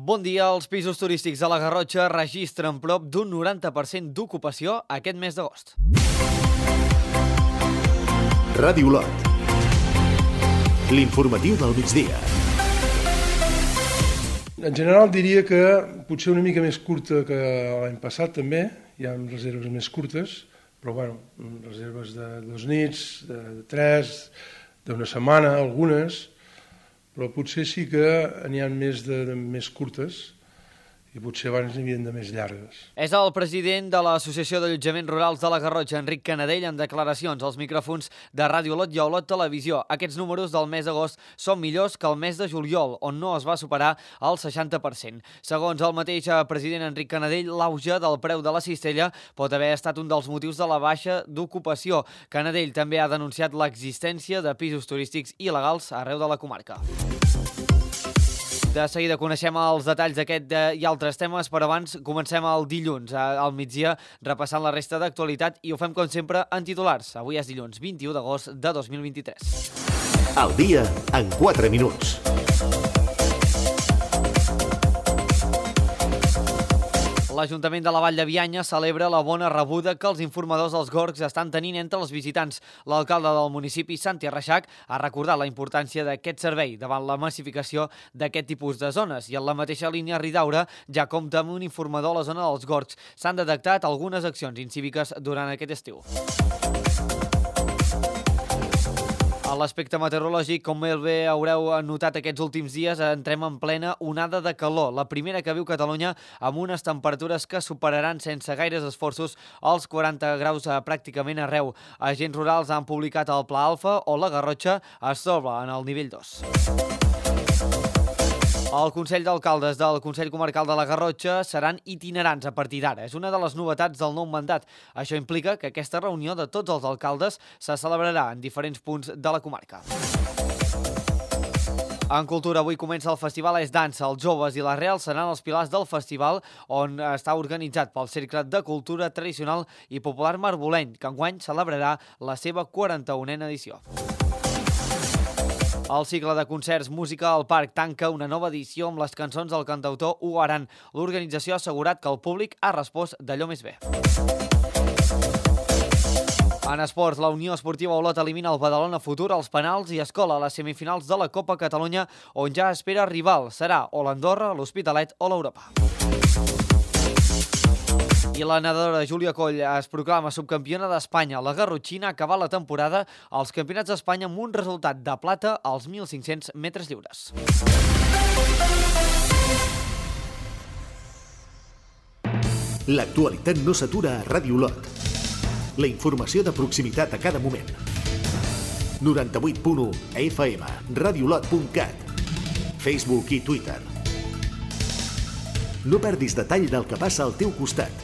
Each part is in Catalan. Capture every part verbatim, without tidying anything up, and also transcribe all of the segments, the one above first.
Bon dia. Els pisos turístics a la Garrotxa registren prop d'un noranta per cent d'ocupació aquest mes d'agost. Ràdio Lot. L'informatiu del migdia. En general diria que potser una mica més curta que l'any passat també. Hi ha reserves més curtes, però bueno, reserves de dos nits, de tres, d'una setmana, algunes, però potser sí que n'hi ha més de, de més curtes i potser abans n'hi havia de més llargues. És el president de l'Associació d'Allotjaments Rurals de la Garrotxa, Enric Canadell, en declaracions als micròfons de Ràdio Lot i Olot Televisió. Aquests números del mes d'agost són millors que el mes de juliol, on no es va superar el seixanta per cent. Segons el mateix president Enric Canadell, l'auge del preu de la cistella pot haver estat un dels motius de la baixa d'ocupació. Canadell també ha denunciat l'existència de pisos turístics il·legals arreu de la comarca. De seguida coneixem els detalls d'aquest i altres temes, però abans comencem el dilluns, al migdia, repassant la resta d'actualitat, i ho fem com sempre en titulars. Avui és dilluns vint-i-u d'agost de dos mil vint-i-tres. El dia en quatre minuts. L'Ajuntament de la Vall de Bianya celebra la bona rebuda que els informadors dels Gorgs estan tenint entre els visitants. L'alcalde del municipi, Santi Reixac, ha recordat la importància d'aquest servei davant la massificació d'aquest tipus de zones. I en la mateixa línia, Ridaura ja compta amb un informador a la zona dels Gorgs. S'han detectat algunes accions incíviques durant aquest estiu. A l'aspecte meteorològic, com bé haureu notat aquests últims dies, entrem en plena onada de calor, la primera que viu Catalunya, amb unes temperatures que superaran sense gaires esforços els quaranta graus pràcticament arreu. Agents rurals han publicat el Pla Alfa, o la Garrotxa es troba en el nivell dos. El Consell d'Alcaldes del Consell Comarcal de la Garrotxa seran itinerants a partir d'ara. És una de les novetats del nou mandat. Això implica que aquesta reunió de tots els alcaldes se celebrarà en diferents punts de la comarca. En cultura, avui comença el Festival És Dansa. Els joves i la Real seran els pilars del festival, on està organitzat pel Cercle de Cultura Tradicional i Popular Marboleny, que enguany celebrarà la seva quaranta-unena edició. El cicle de concerts Música al Parc tanca una nova edició amb les cançons del cantautor Hugo Aran. L'organització ha assegurat que el públic ha respost d'allò més bé. En esports, la Unió Esportiva Olot elimina el Badalona Futur als penals i es cola a les semifinals de la Copa Catalunya, on ja espera rival. Serà o l'Andorra, l'Hospitalet o l'Europa. I la nedadora Júlia Coll es proclama subcampiona d'Espanya. La garrotxina acaba la temporada als Campionats d'Espanya amb un resultat de plata als mil cinc-cents metres lliures. L'actualitat no s'atura a Ràdio Lot. La informació de proximitat a cada moment. noranta-vuit punt u F M, radiolot punt cat, Facebook i Twitter. No perdis detall del que passa al teu costat.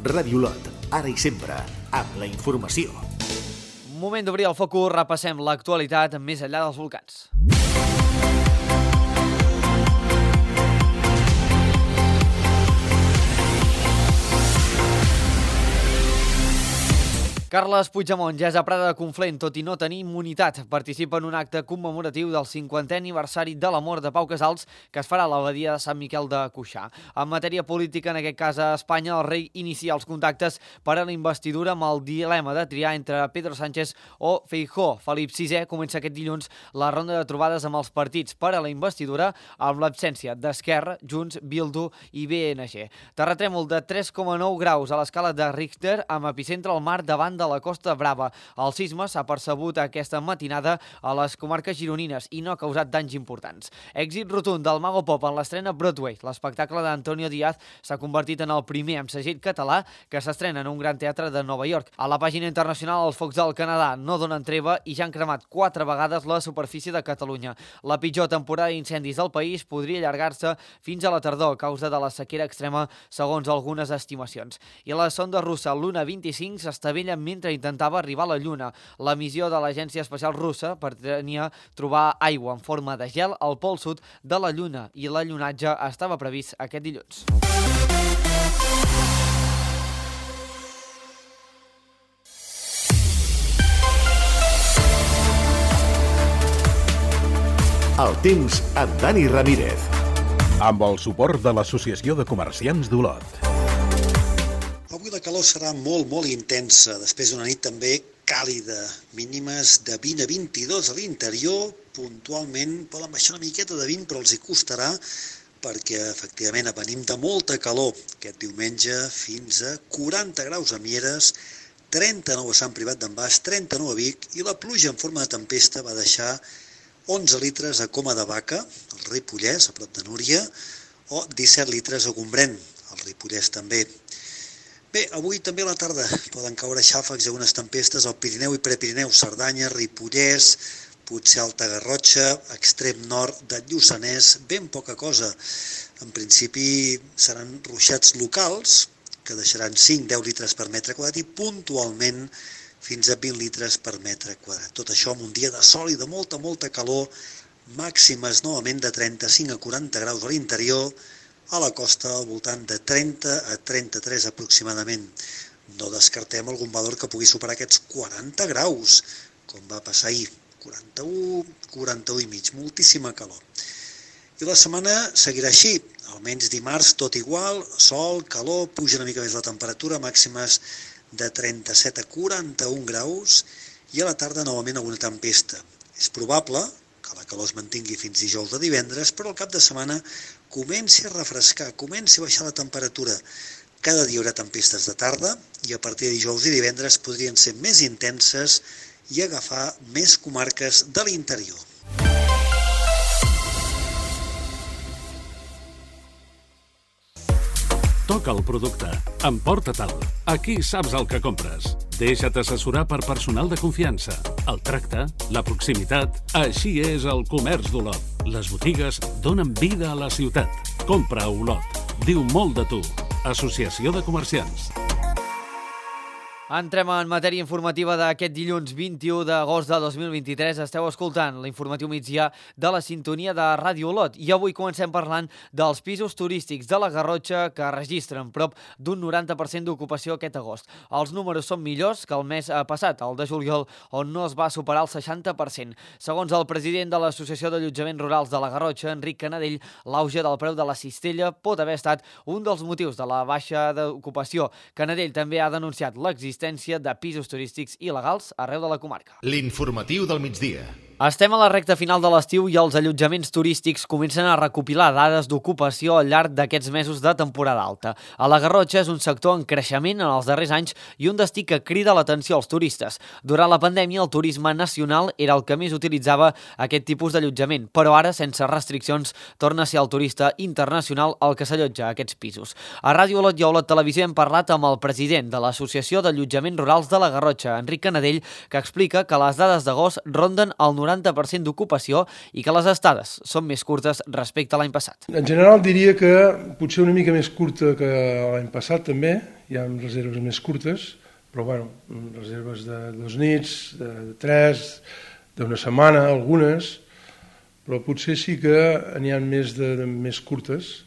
Ràdio Lot, ara i sempre, amb la informació. Moment d'obrir el focus, repassem l'actualitat més enllà dels volcans. Carles Puigdemont ja és a Prada de Conflent, tot i no tenir immunitat. Participa en un acte commemoratiu del cinquantè aniversari de la mort de Pau Casals, que es farà a l'abadia de Sant Miquel de Cuixà. En matèria política, en aquest cas a Espanya, el rei inicia els contactes per a la investidura amb el dilema de triar entre Pedro Sánchez o Feijóo. Felip sisè comença aquest dilluns la ronda de trobades amb els partits per a la investidura, amb l'absència d'Esquerra, Junts, Bildu i B N G. Terratrèmol de tres coma nou graus a l'escala de Richter, amb epicentre al mar davant de la Costa Brava. El sisme s'ha percebut aquesta matinada a les comarques gironines i no ha causat danys importants. Èxit rotund del Mago Pop en l'estrena Broadway. L'espectacle d'Antonio Díaz s'ha convertit en el primer amb segell català que s'estrena en un gran teatre de Nova York. A la pàgina internacional, els focs del Canadà no donen treva i ja han cremat quatre vegades la superfície de Catalunya. La pitjor temporada d'incendis del país podria allargar-se fins a la tardor a causa de la sequera extrema, segons algunes estimacions. I la sonda russa Luna vint-i-cinc s'estavella mentre intentava arribar a la Lluna. La missió de l'Agència Espacial Russa pretenia trobar aigua en forma de gel al pol sud de la Lluna i l'allunatge estava previst aquest dilluns. El temps amb Dani Ramírez. amb el suport de l'Associació de Comerciants d'Olot. Avui la calor serà molt, molt intensa, després d'una nit també càlida, mínimes de vint a vint-i-dos a l'interior, puntualment poden baixar una miqueta de vint, però els hi costarà, perquè efectivament venim de molta calor. Aquest diumenge fins a quaranta graus a Mieres, trenta-nou a Sant Privat d'en Bas, trenta-nou a Vic, i la pluja en forma de tempesta va deixar onze litres a Coma de Vaca, al Ripollès, a prop de Núria, o disset litres a Gombrèn, al Ripollès també. Bé, avui també a la tarda poden caure xàfecs i algunes tempestes al Pirineu i Prepirineu, Cerdanya, Ripollès, potser Alta Garrotxa, extrem nord de Lluçanès, ben poca cosa. En principi seran ruixats locals, que deixaran cinc a deu litres per metre quadrat i puntualment fins a vint litres per metre quadrat. Tot això en un dia de sol i de molta, molta calor, màximes novament de trenta-cinc a quaranta graus a l'interior, a la costa al voltant de trenta a trenta-tres aproximadament. No descartem algun valor que pugui superar aquests quaranta graus, com va passar ahir, quaranta-u, quaranta-u i mig, moltíssima calor. I la setmana seguirà així, almenys dimarts tot igual, sol, calor, puja una mica més la temperatura, màximes de trenta-set a quaranta-un graus, i a la tarda novament alguna tempesta. És probable que la calor es mantingui fins dijous o divendres, però al cap de setmana comenci a refrescar, comenci a baixar la temperatura. Cada dia hi haurà tempestes de tarda i a partir de dijous i divendres podrien ser més intenses i agafar més comarques de l'interior. Toca el producte, emporta-te'l. Aquí saps el que compres. Deixa't assessorar per personal de confiança. El tracte, la proximitat, així és el comerç d'Olot. Les botigues donen vida a la ciutat. Compra a Olot. Diu molt de tu. Associació de Comerciants. Entrem en matèria informativa d'aquest dilluns vint-i-u d'agost de dos mil vint-i-tres. Esteu escoltant l'informatiu migdia de la sintonia de Ràdio Olot. I avui comencem parlant dels pisos turístics de la Garrotxa que registren prop d'un noranta per cent d'ocupació aquest agost. Els números són millors que el mes passat, el de juliol, on no es va superar el seixanta per cent. Segons el president de l'Associació d'Allotjaments Rurals de la Garrotxa, Enric Canadell, l'auge del preu de la cistella pot haver estat un dels motius de la baixa d'ocupació. Canadell també ha denunciat l'existència de pisos turístics il·legals arreu de la comarca. L'informatiu del migdia. Estem a la recta final de l'estiu i els allotjaments turístics comencen a recopilar dades d'ocupació al llarg d'aquests mesos de temporada alta. A la Garrotxa és un sector en creixement en els darrers anys i un destí que crida l'atenció als turistes. Durant la pandèmia, el turisme nacional era el que més utilitzava aquest tipus d'allotjament, però ara, sense restriccions, torna a ser el turista internacional el que s'allotja a aquests pisos. A Ràdio Olot i a Olot Televisió hem parlat amb el president de l'Associació d'Allotjaments Rurals de la Garrotxa, Enric Canadell, que explica que les dades d'agost ronden el noranta per cent d'ocupació i que les estades són més curtes respecte a l'any passat. En general diria que potser una mica més curta que l'any passat també, hi ha reserves més curtes, però bueno, reserves de dos nits, de tres, d'una setmana, algunes, però potser sí que n'hi ha més de, de més curtes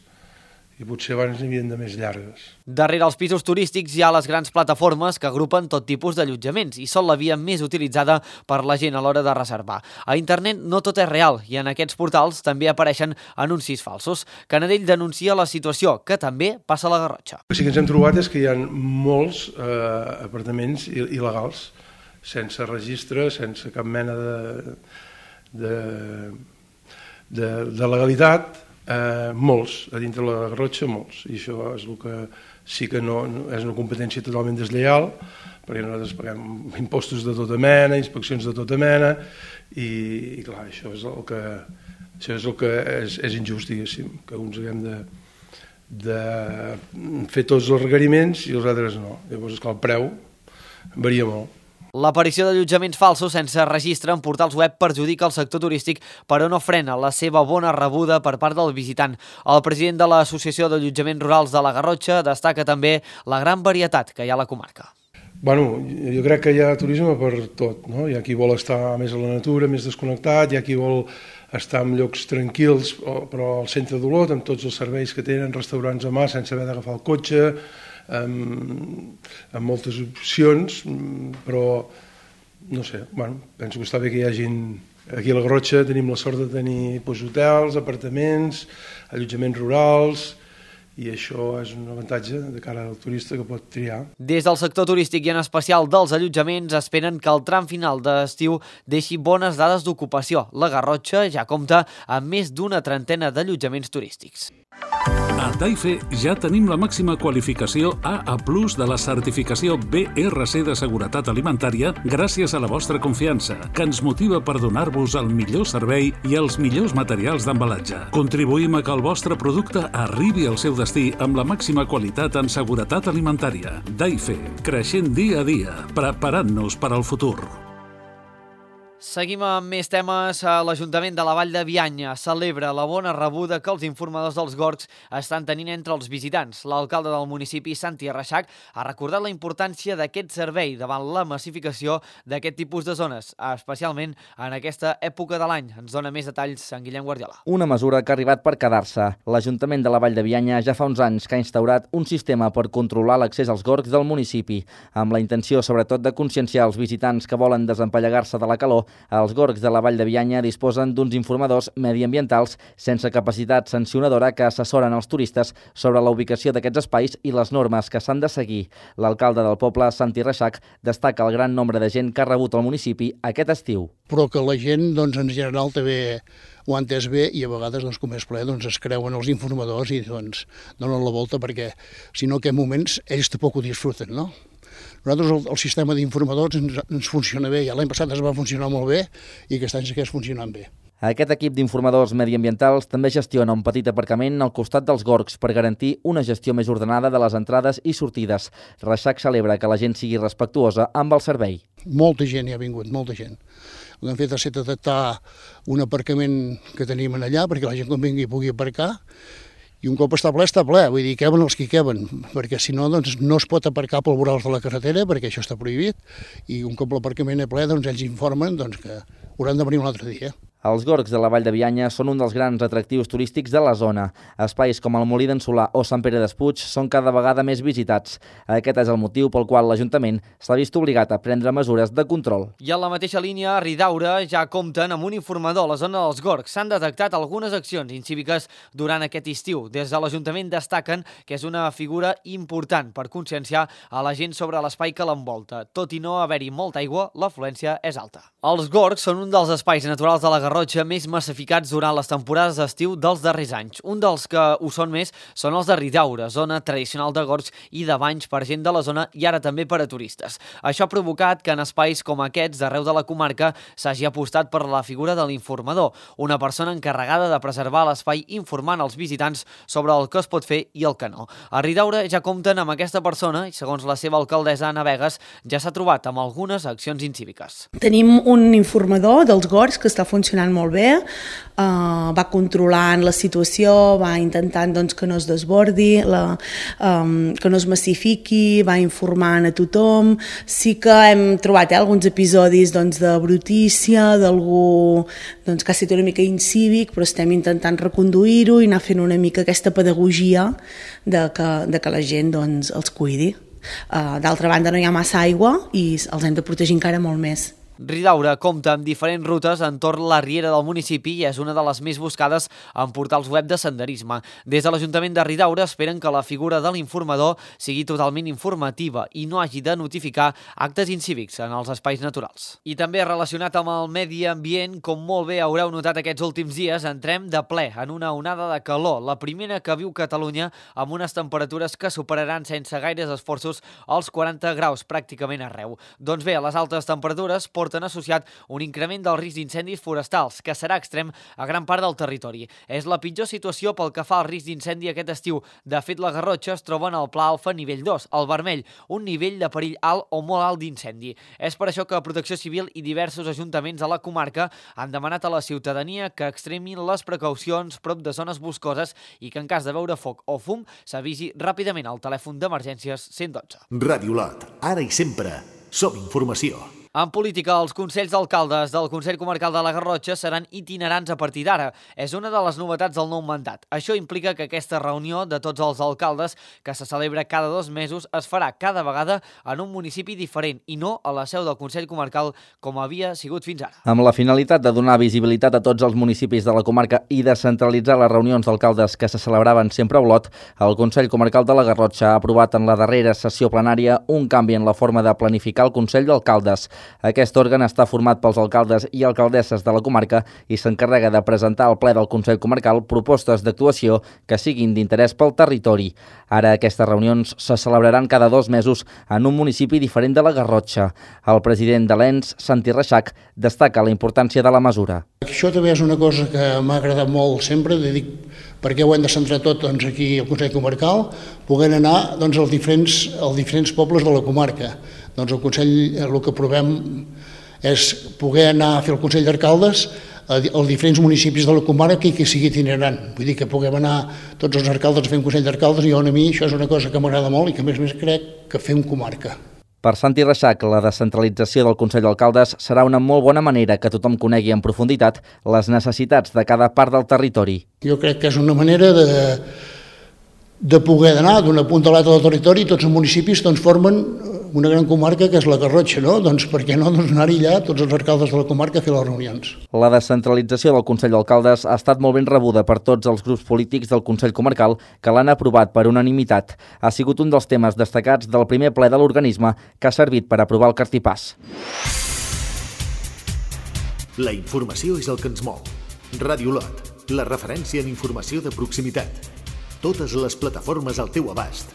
i potser abans n'hi havia de més llargues. Darrere els pisos turístics hi ha les grans plataformes que agrupen tot tipus d'allotjaments i són la via més utilitzada per la gent a l'hora de reservar. A internet no tot és real i en aquests portals també apareixen anuncis falsos. Canadell denuncia la situació, que també passa a la Garrotxa. El que sí que ens hem trobat és que hi ha molts eh, apartaments il·legals, sense registre, sense cap mena de, de, de, de legalitat, Eh, molts, a dintre la Garrotxa molts, i això és el que sí que no, no és una competència totalment deslleial, perquè nosaltres paguem impostos de tota mena, inspeccions de tota mena, i, i clar, això és el que, això és, el que és, és injust, diguéssim, que uns haguem de, de fer tots els requeriments i els altres no. Llavors, esclar, el preu varia molt. L'aparició d'allotjaments falsos sense registre en portals web perjudica el sector turístic, però no frena la seva bona rebuda per part del visitant. El president de l'Associació d'Allotjaments Rurals de la Garrotxa destaca també la gran varietat que hi ha a la comarca. Bueno, jo crec que hi ha turisme per tot, no? Hi ha qui vol estar més a la natura, més desconnectat, hi ha qui vol estar en llocs tranquils, però al centre d'Olot, amb tots els serveis que tenen, restaurants a mà, sense haver d'agafar el cotxe, amb, amb moltes opcions, però no sé, bueno, penso que està bé que hi hagin Aquí a la Garrotxa tenim la sort de tenir doncs, hotels, apartaments, allotjaments rurals, i això és un avantatge de cara al turista que pot triar. Des del sector turístic i en especial dels allotjaments esperen que el tram final d'estiu deixi bones dades d'ocupació. La Garrotxa ja compta amb més d'una trentena d'allotjaments turístics. A Taife ja tenim la màxima qualificació A A plus de la certificació B R C de seguretat alimentària gràcies a la vostra confiança, que ens motiva per donar-vos el millor servei i els millors materials d'embalatge. Contribuïm a que el vostre producte arribi al seu destí amb la màxima qualitat en seguretat alimentària. Taife, creixent dia a dia, preparant-nos per al futur. Seguim amb més temes. L'Ajuntament de la Vall de Bianya celebra la bona rebuda que els informadors dels Gorgs estan tenint entre els visitants. L'alcalde del municipi, Santi Reixac, ha recordat la importància d'aquest servei davant la massificació d'aquest tipus de zones, especialment en aquesta època de l'any. Ens dona més detalls en Guillem Guardiola. Una mesura que ha arribat per quedar-se. L'Ajuntament de la Vall de Bianya ja fa uns anys que ha instaurat un sistema per controlar l'accés als gorgs del municipi, amb la intenció sobretot de conscienciar els visitants que volen desempallegar-se de la calor. Els gorgs de la Vall de Bianya disposen d'uns informadors mediambientals sense capacitat sancionadora que assessoren els turistes sobre la ubicació d'aquests espais i les normes que s'han de seguir. L'alcalde del poble, Santi Reixac, destaca el gran nombre de gent que ha rebut al municipi aquest estiu. Però que la gent, doncs, en general, també ho ha entès bé i a vegades, doncs, com és ple, doncs, es creuen els informadors i doncs, donen la volta perquè, si no, en aquests moments ells tampoc ho disfruten, no? Nosaltres el, el sistema d'informadors ens, ens funciona bé, ja l'any passat es va funcionar molt bé i aquest any segueix funcionant bé. Aquest equip d'informadors mediambientals també gestiona un petit aparcament al costat dels gorgs per garantir una gestió més ordenada de les entrades i sortides. Reixac celebra que la gent sigui respectuosa amb el servei. Molta gent hi ha vingut, molta gent. El que hem fet ha estat detectar un aparcament que tenim allà perquè la gent quan vingui pugui aparcar. I un cop està ple, està ple, vull dir, queben els que queben, perquè si no, doncs, no es pot aparcar pel vorals de la carretera, perquè això està prohibit, i un cop l'aparcament és ple, doncs ells informen doncs, que hauran de venir un altre dia. Els gorgs de la Vall de Bianya són un dels grans atractius turístics de la zona. Espais com el Molí d'en Solà o Sant Pere d'Espuig són cada vegada més visitats. Aquest és el motiu pel qual l'Ajuntament s'ha vist obligat a prendre mesures de control. I en la mateixa línia, a Ridaura ja compten amb un informador a la zona dels gorgs. S'han detectat algunes accions incíviques durant aquest estiu. Des de l'Ajuntament destaquen que és una figura important per conscienciar a la gent sobre l'espai que l'envolta. Tot i no haver-hi molta aigua, l'afluència és alta. Els gorgs són un dels espais naturals de la Garrotxa més massificats durant les temporades d'estiu dels darrers anys. Un dels que ho són més són els de Ridaura, zona tradicional de gorgs i de banys per gent de la zona i ara també per a turistes. Això ha provocat que en espais com aquests d'arreu de la comarca s'hagi apostat per la figura de l'informador, una persona encarregada de preservar l'espai informant els visitants sobre el que es pot fer i el que no. A Ridaura ja compten amb aquesta persona i, segons la seva alcaldessa Anna Vegas, ja s'ha trobat amb algunes accions incíviques. Tenim un informador dels gorgs que està funcionant molt bé, uh, va controlant la situació, va intentant doncs, que no es desbordi, la, um, que no es massifiqui, va informant a tothom. Sí que hem trobat eh, alguns episodis doncs, de brutícia, d'algú doncs, que ha estat una mica incívic, però estem intentant reconduir-ho i anar fent una mica aquesta pedagogia de que, de que la gent doncs, els cuidi. Uh, D'altra banda, no hi ha massa aigua i els hem de protegir encara molt més. Ridaura compta amb diferents rutes entorn la riera del municipi i és una de les més buscades en portals web de senderisme. Des de l'Ajuntament de Ridaura esperen que la figura de l'informador sigui totalment informativa i no hagi de notificar actes incívics en els espais naturals. I també relacionat amb el medi ambient, com molt bé haureu notat aquests últims dies, entrem de ple en una onada de calor, la primera que viu Catalunya amb unes temperatures que superaran sense gaires esforços els quaranta graus pràcticament arreu. Doncs bé, les altes temperatures porten han associat un increment del risc d'incendis forestals, que serà extrem a gran part del territori. És la pitjor situació pel que fa al risc d'incendi aquest estiu. De fet, la Garrotxa es troba en el pla alfa nivell dos, el vermell, un nivell de perill alt o molt alt d'incendi. És per això que Protecció Civil i diversos ajuntaments a la comarca han demanat a la ciutadania que extremin les precaucions prop de zones boscoses i que en cas de veure foc o fum s'avisi ràpidament al telèfon d'emergències cent dotze. Ràdio Lot, ara i sempre, som informació. En política, els consells d'alcaldes del Consell Comarcal de la Garrotxa seran itinerants a partir d'ara. És una de les novetats del nou mandat. Això implica que aquesta reunió de tots els alcaldes, que se celebra cada dos mesos, es farà cada vegada en un municipi diferent i no a la seu del Consell Comarcal com havia sigut fins ara. Amb la finalitat de donar visibilitat a tots els municipis de la comarca i de centralitzar les reunions d'alcaldes que se celebraven sempre a Olot, el Consell Comarcal de la Garrotxa ha aprovat en la darrera sessió plenària un canvi en la forma de planificar el Consell d'Alcaldes. Aquest òrgan està format pels alcaldes i alcaldesses de la comarca i s'encarrega de presentar al ple del Consell Comarcal propostes d'actuació que siguin d'interès pel territori. Ara aquestes reunions se celebraran cada dos mesos en un municipi diferent de la Garrotxa. El president de l'E N S, Santi Reixac, destaca la importància de la mesura. Això també és una cosa que m'ha agradat molt sempre, de dir perquè ho hem de centrar tot doncs, aquí al Consell Comarcal, poder anar doncs, als, diferents, als diferents pobles de la comarca. Doncs el Consell, el que provem és poder anar a fer el Consell d'Alcaldes als diferents municipis de la comarca i que sigui itinerant. Vull dir que puguem anar tots els alcaldes a fer un Consell d'Alcaldes i a mi això és una cosa que m'agrada molt i que a més a més crec que fem comarca. Per Santi Reixac, la descentralització del Consell d'Alcaldes serà una molt bona manera que tothom conegui en profunditat les necessitats de cada part del territori. Jo crec que és una manera de, de poder anar d'una punta a l'altra del territori i tots els municipis doncs, formen una gran comarca que és la Garrotxa, no? Doncs per què no doncs, anar allà tots els alcaldes de la comarca a fer les reunions? La descentralització del Consell d'Alcaldes ha estat molt ben rebuda per tots els grups polítics del Consell Comarcal que l'han aprovat per unanimitat. Ha sigut un dels temes destacats del primer ple de l'organisme que ha servit per aprovar el cartipàs. La informació és el que ens mou. Ràdio Olot, la referència en informació de proximitat. Totes les plataformes al teu abast.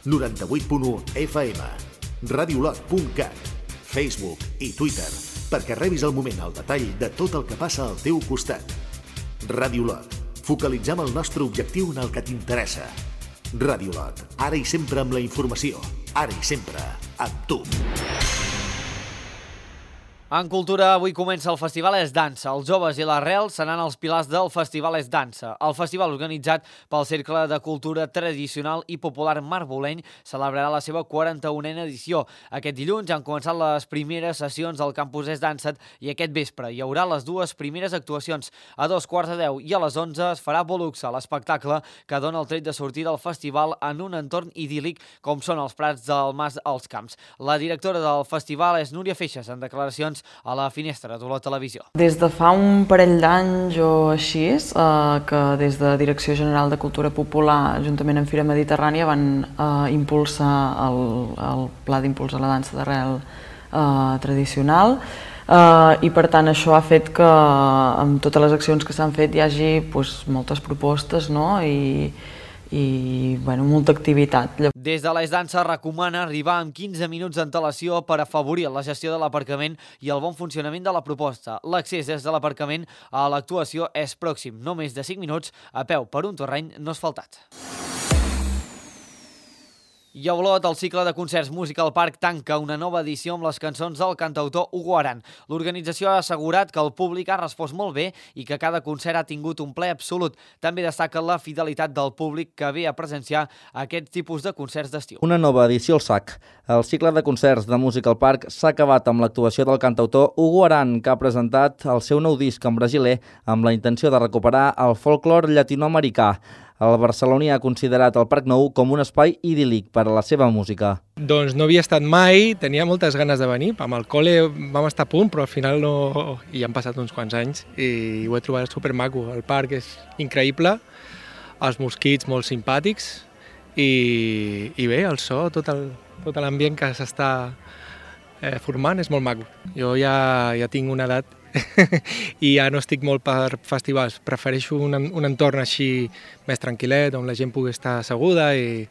noranta-vuit punt u F M. radiolot punt cat, Facebook i Twitter, perquè rebis al moment el detall de tot el que passa al teu costat. Ràdio Olot, focalitzem el nostre objectiu en el que t'interessa. Ràdio Olot, ara i sempre amb la informació, ara i sempre amb tu. En cultura, avui comença el Festival És Dansa. Els joves i l'arrel seran els pilars del Festival És Dansa. El festival, organitzat pel Cercle de Cultura Tradicional i Popular Marboleny, celebrarà la seva quaranta-unena edició. Aquest dilluns han començat les primeres sessions del campus És Dansa i aquest vespre hi haurà les dues primeres actuacions. A dos quarts de deu i a les onze es farà Voluxa, l'espectacle que dona el tret de sortir del festival en un entorn idíl·lic com són els prats del Mas als Camps. La directora del festival és Núria Feixas, en declaracions a la Finestra d'Olot Televisió. Des de fa un parell d'anys o així, eh, que des de Direcció General de Cultura Popular, juntament amb Fira Mediterrània, van eh, impulsar el, el pla d'impulsar la dansa d'arrel eh, tradicional, eh, i per tant això ha fet que amb totes les accions que s'han fet hi hagi pues, moltes propostes, no? I, i bueno, molta activitat. Des de l'És Dansa recomana arribar amb quinze minuts d'antelació per afavorir la gestió de l'aparcament i el bon funcionament de la proposta. L'accés des de l'aparcament a l'actuació és pròxim, no més de cinc minuts a peu per un terreny no asfaltat. I a Olot, el cicle de concerts Musical Park tanca una nova edició amb les cançons del cantautor Hugo Aran. L'organització ha assegurat que el públic ha respost molt bé i que cada concert ha tingut un ple absolut. També destaca la fidelitat del públic que ve a presenciar aquest tipus de concerts d'estiu. Una nova edició al sac. El cicle de concerts de Musical Park s'ha acabat amb l'actuació del cantautor Hugo Aran, que ha presentat el seu nou disc en brasiler amb la intenció de recuperar el folklore llatinoamericà. El barceloní ha considerat el Parc Nou com un espai idíl·lic per a la seva música. Doncs no havia estat mai, tenia moltes ganes de venir. Amb el col·le vam estar a punt, però al final no... I han passat uns quants anys i ho he trobat supermaco. El parc és increïble, els mosquits molt simpàtics i, i bé, el so, tot el, tot l'ambient que s'està eh, formant és molt maco. Jo ja, ja tinc una edat i ja no estic molt per festivals, prefereixo un, un entorn així més tranquil·let, on la gent pugui estar asseguda i,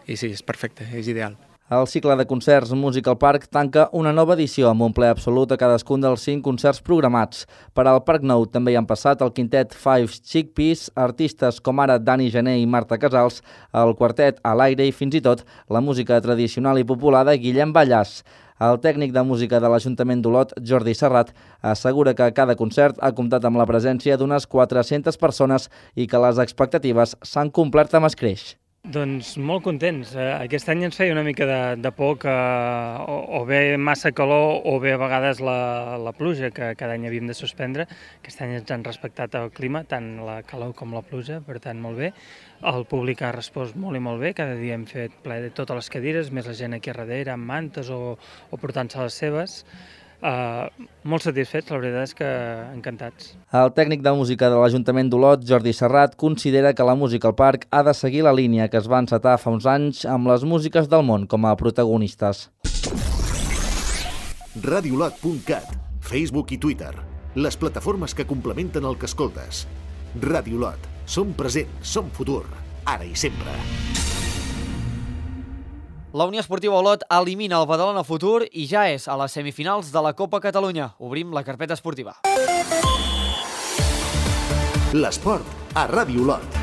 i sí, és perfecte, és ideal. El cicle de concerts Musical Park tanca una nova edició amb un ple absolut a cadascun dels cinc concerts programats. Per al Parc Nou també hi han passat el quintet Five Chickpeas, artistes com ara Dani Gené i Marta Casals, el quartet A l'Aire i fins i tot la música tradicional i popular de Guillem Ballàs. El tècnic de música de l'Ajuntament d'Olot, Jordi Serrat, assegura que cada concert ha comptat amb la presència d'unes quatre-centes persones i que les expectatives s'han complert amb escreix. Doncs molt contents. Aquest any ens feia una mica de, de por que o, o bé massa calor o bé a vegades la, la pluja, que cada any havíem de suspendre. Aquest any ens han respectat el clima, tant la calor com la pluja, per tant molt bé. El públic ha respost molt i molt bé, cada dia hem fet ple de totes les cadires, més la gent aquí a darrere amb mantes o, o portant-se les seves. Uh, molt satisfets, la veritat és que encantats. El tècnic de música de l'Ajuntament d'Olot, Jordi Serrat, considera que la música al parc ha de seguir la línia que es va encetar fa uns anys amb les músiques del món com a protagonistes. radiolot punt cat, Facebook i Twitter, les plataformes que complementen el que escoltes. Radiolot, som present, som futur, ara i sempre. La Unió Esportiva Olot elimina el Badalona Futur i ja és a les semifinals de la Copa Catalunya. Obrim la carpeta esportiva. L'esport a Ràdio Olot.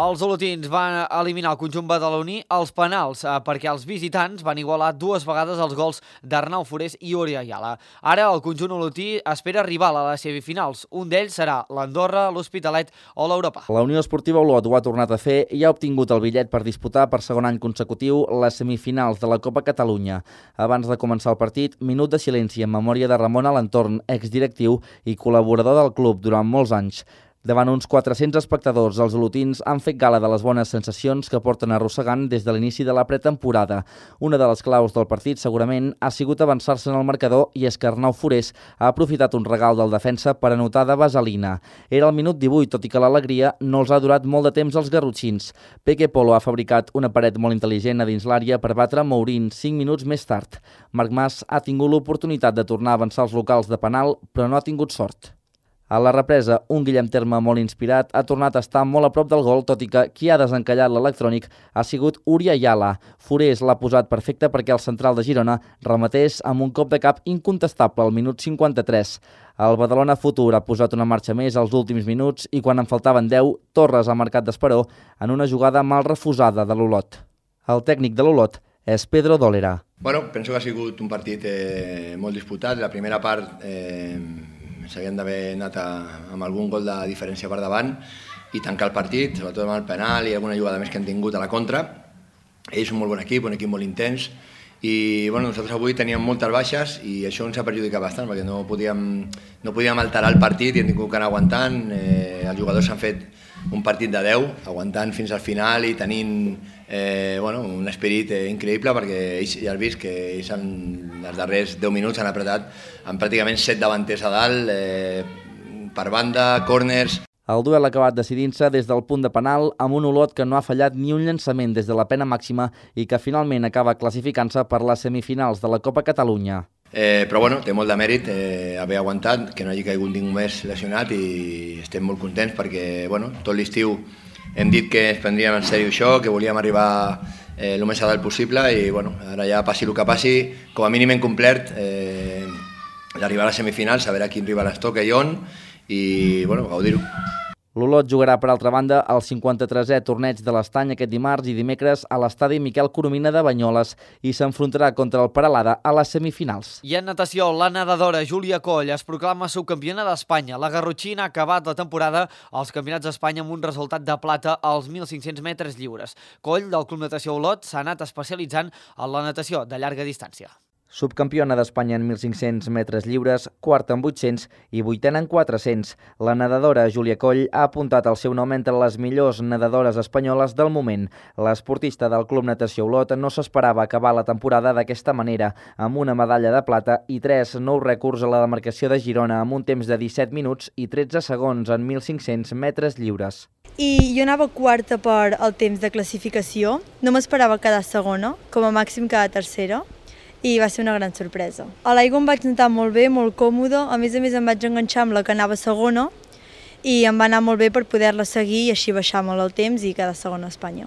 Els olotins van eliminar el conjunt badaloní als penals eh, perquè els visitants van igualar dues vegades els gols d'Arnau Forés i Uri Ayala. Ara el conjunt olotí espera rival a les semifinals. Un d'ells serà l'Andorra, l'Hospitalet o l'Europa. La Unió Esportiva Olot ho ha tornat a fer i ha obtingut el bitllet per disputar per segon any consecutiu les semifinals de la Copa Catalunya. Abans de començar el partit, minut de silenci en memòria de Ramon Alentorn, exdirectiu i col·laborador del club durant molts anys. Davant uns quatre-cents espectadors, els olotins han fet gala de les bones sensacions que porten arrossegant des de l'inici de la pretemporada. Una de les claus del partit, segurament, ha sigut avançar-se en el marcador i és que Arnau Forés ha aprofitat un regal del defensa per anotar de vaselina. Era el minut divuit, tot i que l'alegria no els ha durat molt de temps als garrotxins. Peque Polo ha fabricat una paret molt intel·ligent a dins l'àrea per batre Mourín cinc minuts més tard. Marc Mas ha tingut l'oportunitat de tornar a avançar els locals de penal, però no ha tingut sort. A la represa, un Guillem Terme molt inspirat ha tornat a estar molt a prop del gol, tot i que qui ha desencallat l'electrònic ha sigut Uri Ayala. Forés l'ha posat perfecte perquè el central de Girona rematés amb un cop de cap incontestable al minut cinquanta-tres. El Badalona Futur ha posat una marxa més als últims minuts i quan en faltaven deu, Torres ha marcat d'esperó en una jugada mal refusada de l'Olot. El tècnic de l'Olot és Pedro Dólera. Bueno, penso que ha sigut un partit eh, molt disputat. La primera part eh, s'havien d'haver anat a, amb algun gol de diferència per davant i tancar el partit, sobretot amb el penal i alguna jugada més que han tingut a la contra. Ells són un molt bon equip, un equip molt intens i bueno, nosaltres avui teníem moltes baixes i això ens ha perjudicat bastant perquè no podíem, no podíem alterar el partit i hem tingut que anar aguantant. Eh, els jugadors han fet un partit de deu, aguantant fins al final i tenint eh, bueno, un esperit eh, increïble perquè ells ja has vist que ells en els darrers deu minuts han apretat amb pràcticament set davanters a dalt, eh, per banda, córners. El duel ha acabat decidint-se des del punt de penal amb un Olot que no ha fallat ni un llançament des de la pena màxima i que finalment acaba classificant-se per les semifinals de la Copa Catalunya. Eh, però bueno, té molt de mèrit eh, haver aguantat, que no hagi caigut ningú més lesionat i estem molt contents perquè bueno, tot l'estiu hem dit que ens prendríem en sèrio això, que volíem arribar eh, el més a dalt possible i bueno, ara ja passi el que passi, com a mínim hem complert eh, l'arribar a les semifinals, saber a quin rival es toca i on i bueno, gaudir-ho. L'Olot jugarà, per altra banda, el cinquanta-tresè torneig de l'Estany aquest dimarts i dimecres a l'estadi Miquel Coromina de Banyoles i s'enfrontarà contra el Peralada a les semifinals. I en natació, la nedadora Júlia Coll es proclama subcampiona d'Espanya. La garrotxina ha acabat la temporada als Campionats d'Espanya amb un resultat de plata als mil cinc-cents metres lliures. Coll, del Club Natació Olot, s'ha anat especialitzant en la natació de llarga distància. Subcampiona d'Espanya en mil cinc-cents metres lliures, quarta en vuit-cents i vuitena en quatre-cents. La nedadora Júlia Coll ha apuntat el seu nom entre les millors nedadores espanyoles del moment. L'esportista del Club Natació Olot no s'esperava acabar la temporada d'aquesta manera, amb una medalla de plata i tres nous rècords a la demarcació de Girona amb un temps de disset minuts i tretze segons en mil cinc-cents metres lliures. I jo anava quarta per al temps de classificació, no m'esperava quedar segona, com a màxim quedar tercera, i va ser una gran sorpresa. A l'aigua em vaig notar molt bé, molt còmode, a més a més em vaig enganxar amb la que anava segona i em va anar molt bé per poder-la seguir i així baixar molt el temps i quedar segona a Espanya.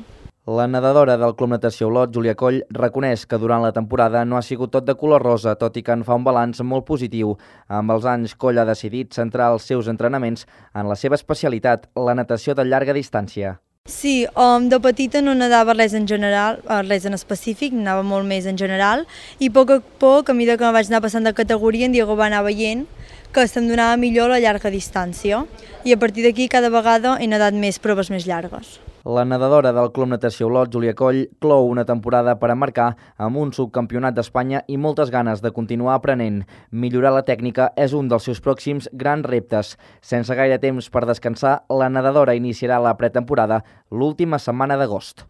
La nedadora del Club Natació Olot, Júlia Coll, reconeix que durant la temporada no ha sigut tot de color rosa, tot i que en fa un balanç molt positiu. Amb els anys, Coll ha decidit centrar els seus entrenaments en la seva especialitat, la natació de llarga distància. Sí, um, de petita no nedava res en general, res en específic, anava molt més en general, i a poc a poc, a mesura que me vaig anar passant de categoria, en Diego va anar veient que se'm donava millor la llarga distància, i a partir d'aquí cada vegada he nedat més proves més llargues. La nedadora del Club Natació Olot, Júlia Coll, clou una temporada per emmarcar amb un subcampionat d'Espanya i moltes ganes de continuar aprenent. Millorar la tècnica és un dels seus pròxims grans reptes. Sense gaire temps per descansar, la nedadora iniciarà la pretemporada l'última setmana d'agost.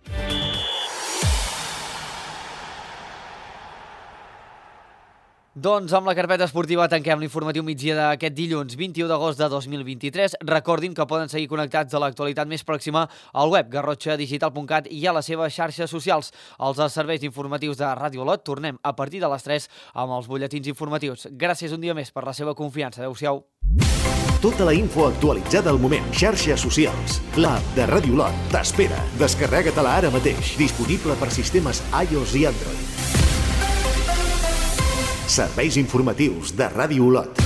Doncs amb la carpeta esportiva tanquem l'informatiu migdia d'aquest dilluns vint-i-u d'agost de dos mil vint-i-tres. Recordin que poden seguir connectats a l'actualitat més pròxima al web garrotxa digital punt cat i a les seves xarxes socials. Els serveis informatius de Ràdio Olot tornem a partir de les tres amb els butlletins informatius. Gràcies un dia més per la seva confiança. Adéu-siau. Tota la info actualitzada al moment. Xarxes socials. L'app de Ràdio Olot t'espera. Descarrega-te-la ara mateix. Disponible per sistemes iOS i Android. Serveis informatius de Ràdio Olot.